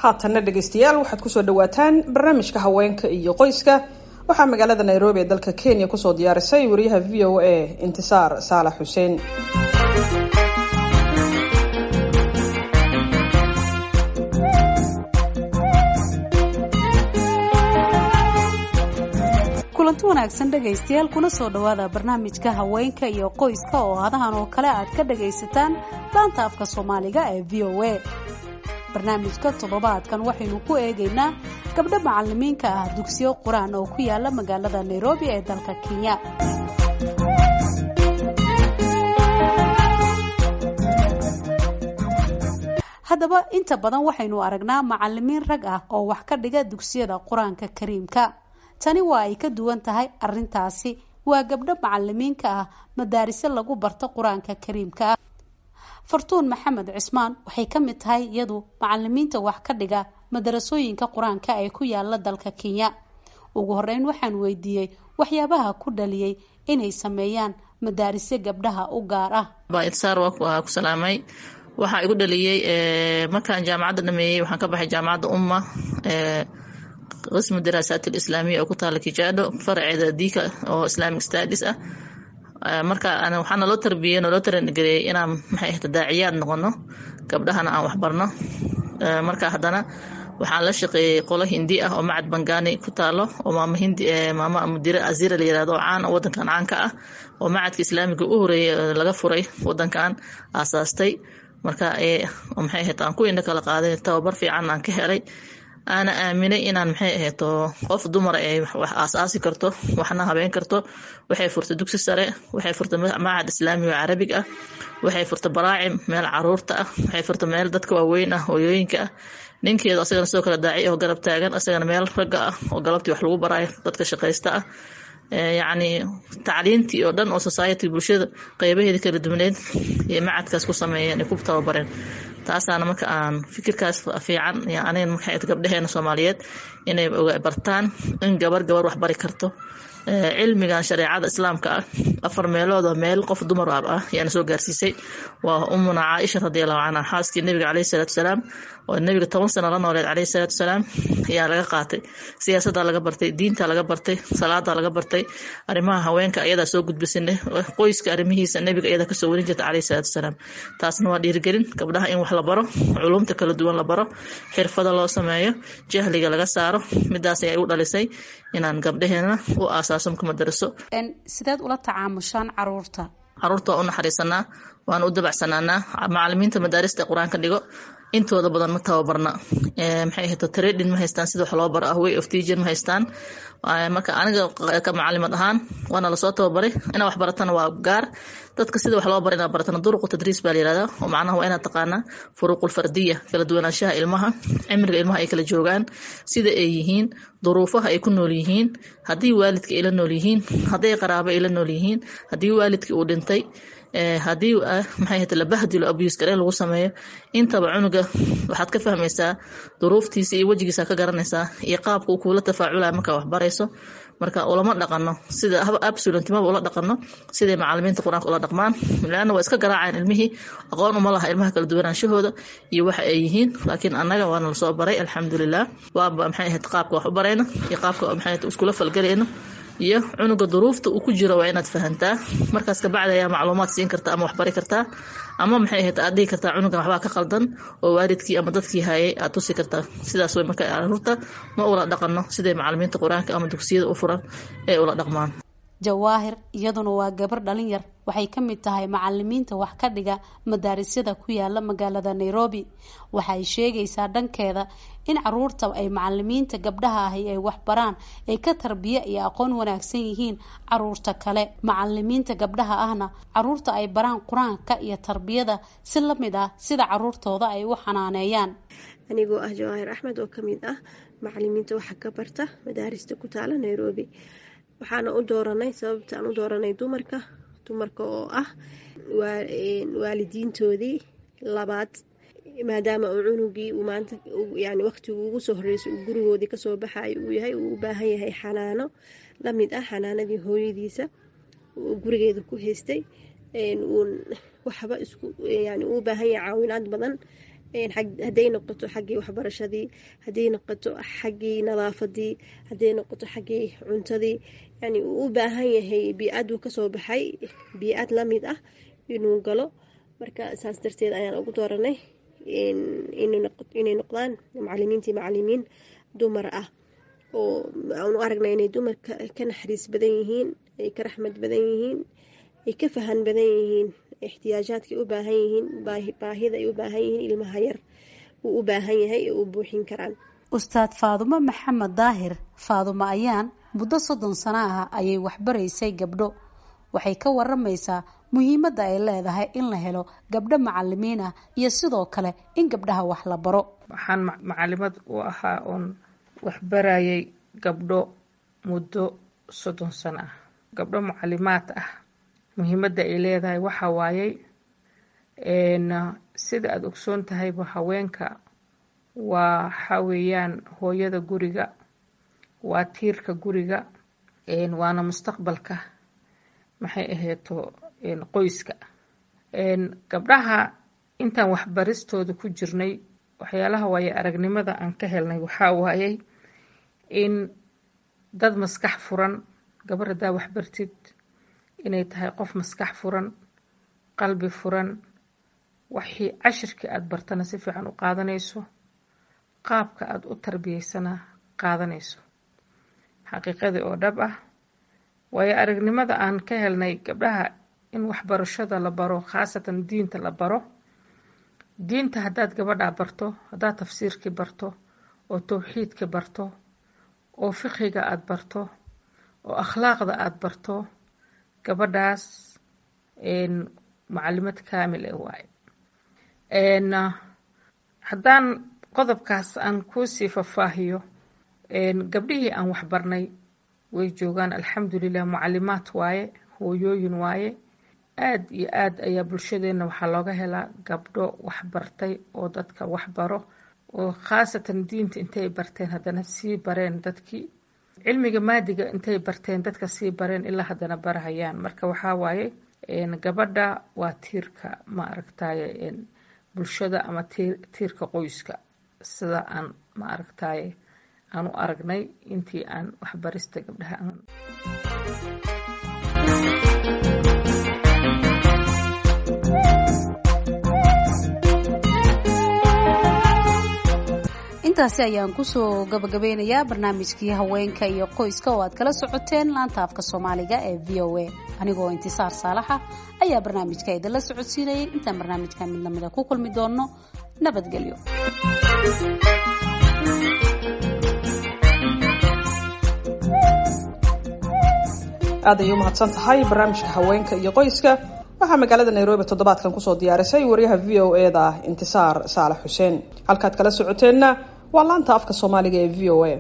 Haatanna dhegeystayaal, waxaad kusoo dhawaataan barnaamijka haweenka iyo qoyska. Waxaa magaalada Nairobi ee dalka Kenya kusoo diyaarisay wariyaha VOA Intisaar Saalax Xuseen. Kulanti wanaagsan dhegaystayaal, kuna soo dhawaada barnaamijka haweenka iyo qoyska oo hadahan oo kale aad ka dhagaysataan laanta afka Soomaaliga ee VOA. Barnaamijka toddobaadkan waxaynu ku eegaynaa gabdho macalimiinka ah dugsiyo qur-aan oo ku yaala magaalada Nairobi ee dalka Kenya. Haddaba inta badan waxaynu aragnaa macalimiin rag ah oo wax ka dhiga dugsiyada qur-aanka kariimka. Tani waa ay ka duwan tahay arintaasi. Waa gabdho macalimiinka ah madaarise lagu barto qur-aanka kariimka ah. Fartuun Maxamed Cismaan waxay ka mid tahay iyadu macalimiinta wax ka dhiga madarasooyinka qur-aanka ee ku yaala dalka Kenya. Ugu horeyn waxaan weydiiyey waxyaabaha ku dhaliyey inay sameeyaan madaarise gabdhaha u gaar ah. Intisaar, waa ku salaamay. Waxaa igu dhaliyey markaan jaamacadda dhameeyey, waxaan ka baxay Jaamacadda Umma, qismu daraasaat alislaamiya oo ku taala Kijaado, faraceeda Diika oo Islamic Studies ah. Marka waxaa naloo tarbiyey, naloo tarangareeyey inaan, maxay ahayd, daaciyaad noqono, gabdhahana aan waxbarno. Marka haddana waxaan la shaqeeyey qolo Hindi ah oo macad Bangani ku taalo, oo maama Hindi, maama mudire Azira la yirahdo, oo caan wadankan caan ka ah, oo macadka islaamiga u horeeyey laga furay wadankan aasaastay. Marka, maxay ahayd, aan ku indho kala qaaday, tababar fiican aan ka helay, aana aaminay inaan, maxay ahayd, qof dumar ay wax aasaasi karto, waxna habeen karto. Waxay furtay dugsi sare, waxay furtay macad islaami oo carabig ah, waxay furtay baraacim, meel caruurta ah, waxay furtay meel dadka waaweyn ah, hooyooyinka ah. Ninkeedu asagana sidoo kale daaci oo garab taagan, asagana meel ragga ah oo galabtii wax lagu baraayo dadka shaqaysta ah. Yacni tacliintii oo dhan oo society, bulshada qeybaheeda kala duwaneed iyo macadkaas ku sameeyeen ay ku tababareen. Taasaana marka aan fikirkaas fiican aniga, maxay, gabdhaheena Soomaaliyeed inay bartaan in gabar gabar wax bari karto. Cilmigan shareecada islaamka ah afar meelood oo meel qof dumar ah ayaana soo gaarsiisay. Waa Umuna Caaisha radiallahu canha, xaaskii Nebiga caleyhi salaatu wasalaam, oo Nebiga 10 sano la nooleed caleyhi salaatu wasalaam, ayaa laga qaatay. Siyaasadda laga bartay, diinta laga bartay, salaada laga bartay, arrimaha haweenka ayadaa soo gudbisane, qoyska arrimihiisa Nebiga ayadaa kasoo warin jirta caleyhi salaatu wasalaam. Taasna waa dhiirigelin gabdhaha in wax la baro, culumta kala duwan la baro, xirfada loo sameeyo, jahliga laga saaro. Midaas ayaa igu dhalisay inaan gabdhaheena u aasaaso madaraso. Sideed ula tacaamushaan caruurta? Caruurta waa u naxariisanaa, waana u dabacsanaanaa. Macalimiinta madaarista qur-aanka dhigo intooda badan ma tababarna, maxay ahayd, training ma haystaan sida wax loo baro ah, way of teaching ma haystaan. Marka aniga ka macalimad ahaan waana lasoo tababaray. Inaa wax baratana waa gaar, dadka sida wax loo baro inaad baratana duruqu tadriis baa la yirahdaa, oo macnaha waa inaad taqaanaa furuuqul fardiya, kala duwanaanshaha ilmaha, cimriga ilmaha ay kala joogaan, sida ay yihiin, duruufaha ay ku nool yihiin, haddii waalidka ay la nool yihiin, hadday qaraabo ay la nool yihiin, haddii waalidkii uu dhintay, haddii, maxay ahayd, la bahdilo, abuse gareen lagu sameeyo. Intaba cunuga waxaad ka fahmaysaa duruuftiisa iyo wejigiisa ka garanaysaa iyo qaabka uu kuula tafaaculaya markaa wax barayso. Marka ulama dhaqano sida absolutely, maba ula dhaqano siday macalimiinta qur-aanka ula dhaqmaan, laana waa iska garaacayaan ilmihii. Aqoon uma laha ilmaha kala duwanaanshahooda iyo waxa ay yihiin. Laakiin annaga waana lasoo baray, alxamdulilah. Waaba, maxay ahayd, qaabka wax u barayno iyo qaabka, maxay ahayd, iskula falgalayno iyo cunuga duruufta uu ku jiro waa inaad fahantaa. Markaas kabacdi ayaa macluumaad siin karta ama waxbari kartaa ama, maxay ahayd, aad dhihi kartaa cunugan waxbaa ka qaldan, oo waalidkii ama dadkii hayay aad tusi kartaa. Sidaas way. Marka caruurta ma ula dhaqano siday macalimiinta qur-aanka ama dugsiyada u furan ee ula dhaqmaan. Jawaahir iyaduna waa gabar dhalin yar. Waxay ka mid tahay macalimiinta wax ka dhiga madaarisyada ku yaala magaalada Nairobi. Waxay sheegaysaa dhankeeda in caruurta ay macalimiinta gabdhaha ahi ay wax baraan ay ka tarbiye iyo aqoon wanaagsan yihiin caruurta kale, macalimiinta gabdhaha ahna caruurta ay baraan qur-aanka iyo tarbiyada si la mid ah sida caruurtooda ay u xanaaneeyaan. Anigoo ah Jawaahir Axmed oo kamid ah macalimiinta waxa ka barta madaarista ku taala Nairobi, waxaana u dooranay, sababta aan u dooranay dumarka, dumarka oo ah waalidiintoodii labaad, maadaama uu cunugii uu maanta, yani waqtigu ugu soo horreysay uu gurigoodii kasoo baxayo uu yahay, uu u baahan yahay xanaano la mid ah xanaanadii hooyadiisa uu gurigeeda ku haystay. Uun waxba isku, yani uu u baahan yahay caawinaad badan. Hadday noqoto xaggii waxbarashadii, hadday noqoto xaggii nadaafadii, hadday noqoto xaggii cuntadii, yani uu u baahan yahay bii-aduu kasoo baxay bii-ad lamid ah inuu galo. Marka saas darteed ayaan ugu dooranay inay noqdaan macalimiintii macalimiin dumar ah, oo aan u aragnay inay dumarka ka naxariis badan yihiin, ay ka raxmad badan yihiin, ay ka fahan badan yihiin ixtiyaajaadkay u baahan yihiin, baahida ay u baahan yihiin ilmaha yar uu u baahan yahay ee u buuxin karaan. Ustaad Faadumo Maxamed Daahir, Faadumo Ayaan, muddo 30 sano ah ayay waxbaraysay gabdho. Waxay ka waramaysaa muhiimadda ay leedahay in la helo gabdho macalimiin ah iyo sidoo kale in gabdhaha wax la baro. Waxaan macalimad u ahaa oon waxbarayay gabdho muddo 30 sano ah. Gabdho mucalimaad ah muhiimadda ay leedahay waxaa waayey, sida aada ogsoon tahayba, haweenka waa waxaa weeyaan hooyada guriga, waa tiirka guriga, waana mustaqbalka, maxay ahayto, qoyska. Gabdhaha intaan waxbaristooda ku jirnay, waxyaalaha waaye aragnimada aan ka helnay waxaa waayey in dad maskax furan, gabar haddaa waxbartid inay tahay qof maskax furan, qalbi furan, waxii cashirkii aada bartana si fiican u qaadanayso, qaabka aada u tarbiyeysana qaadanayso. Xaqiiqadii oo dhab ah, waayo aragnimada aan ka helnay gabdhaha in waxbarashada la baro, khaasatan diinta la baro. Diinta haddaad gabadhaa barto, haddaad tafsiirkii barto oo towxiidka barto oo fiqiga aada barto oo akhlaaqda aada barto, gabadhaas macalimad kaamil eh waaye. Haddaan qodobkaas aan kuusii fafaahiyo, gabdhihii aan waxbarnay way joogaan, alxamdulilah, mucalimaad waaye, hooyooyin waaye. Aad iyo aad ayaa bulshadeenna waxaa looga helaa gabdho waxbartay oo dadka waxbaro, oo khaasatan diinta intay barteen haddana sii bareen dadkii, cilmiga maadiga intay barteen dadka sii bareen, ilaa haddana barahayaan. Marka waxaa waaye gabadha waa tiirka, ma aragtaye, bulshada ama tiirka qoyska, sida aan, ma aragtaye, aan u aragnay intii aan waxbarista gabdhaha aan. Intaasi ayaan kusoo gabagabeynayaa barnaamijkii haweenka iyo qoyska oo aad kala socoteen laanta afka Soomaaliga ee VOA. Anigoo Intisaar Saalaxa ayaa barnaamijka idinla socodsiinayay. Intaan barnaamijka mid lamida ku kulmi doono, nabadgelyo. Aad ayay umahadsan tahay. Barnaamijka haweenka iyo qoyska waxaa magaalada Nairobi toddobaadkan kusoo diyaarisay wariyaha VOA da Intisaar Saalax Xuseen. Halkaad kala socoteenna waa laanta afka Soomaaliga ee VOA.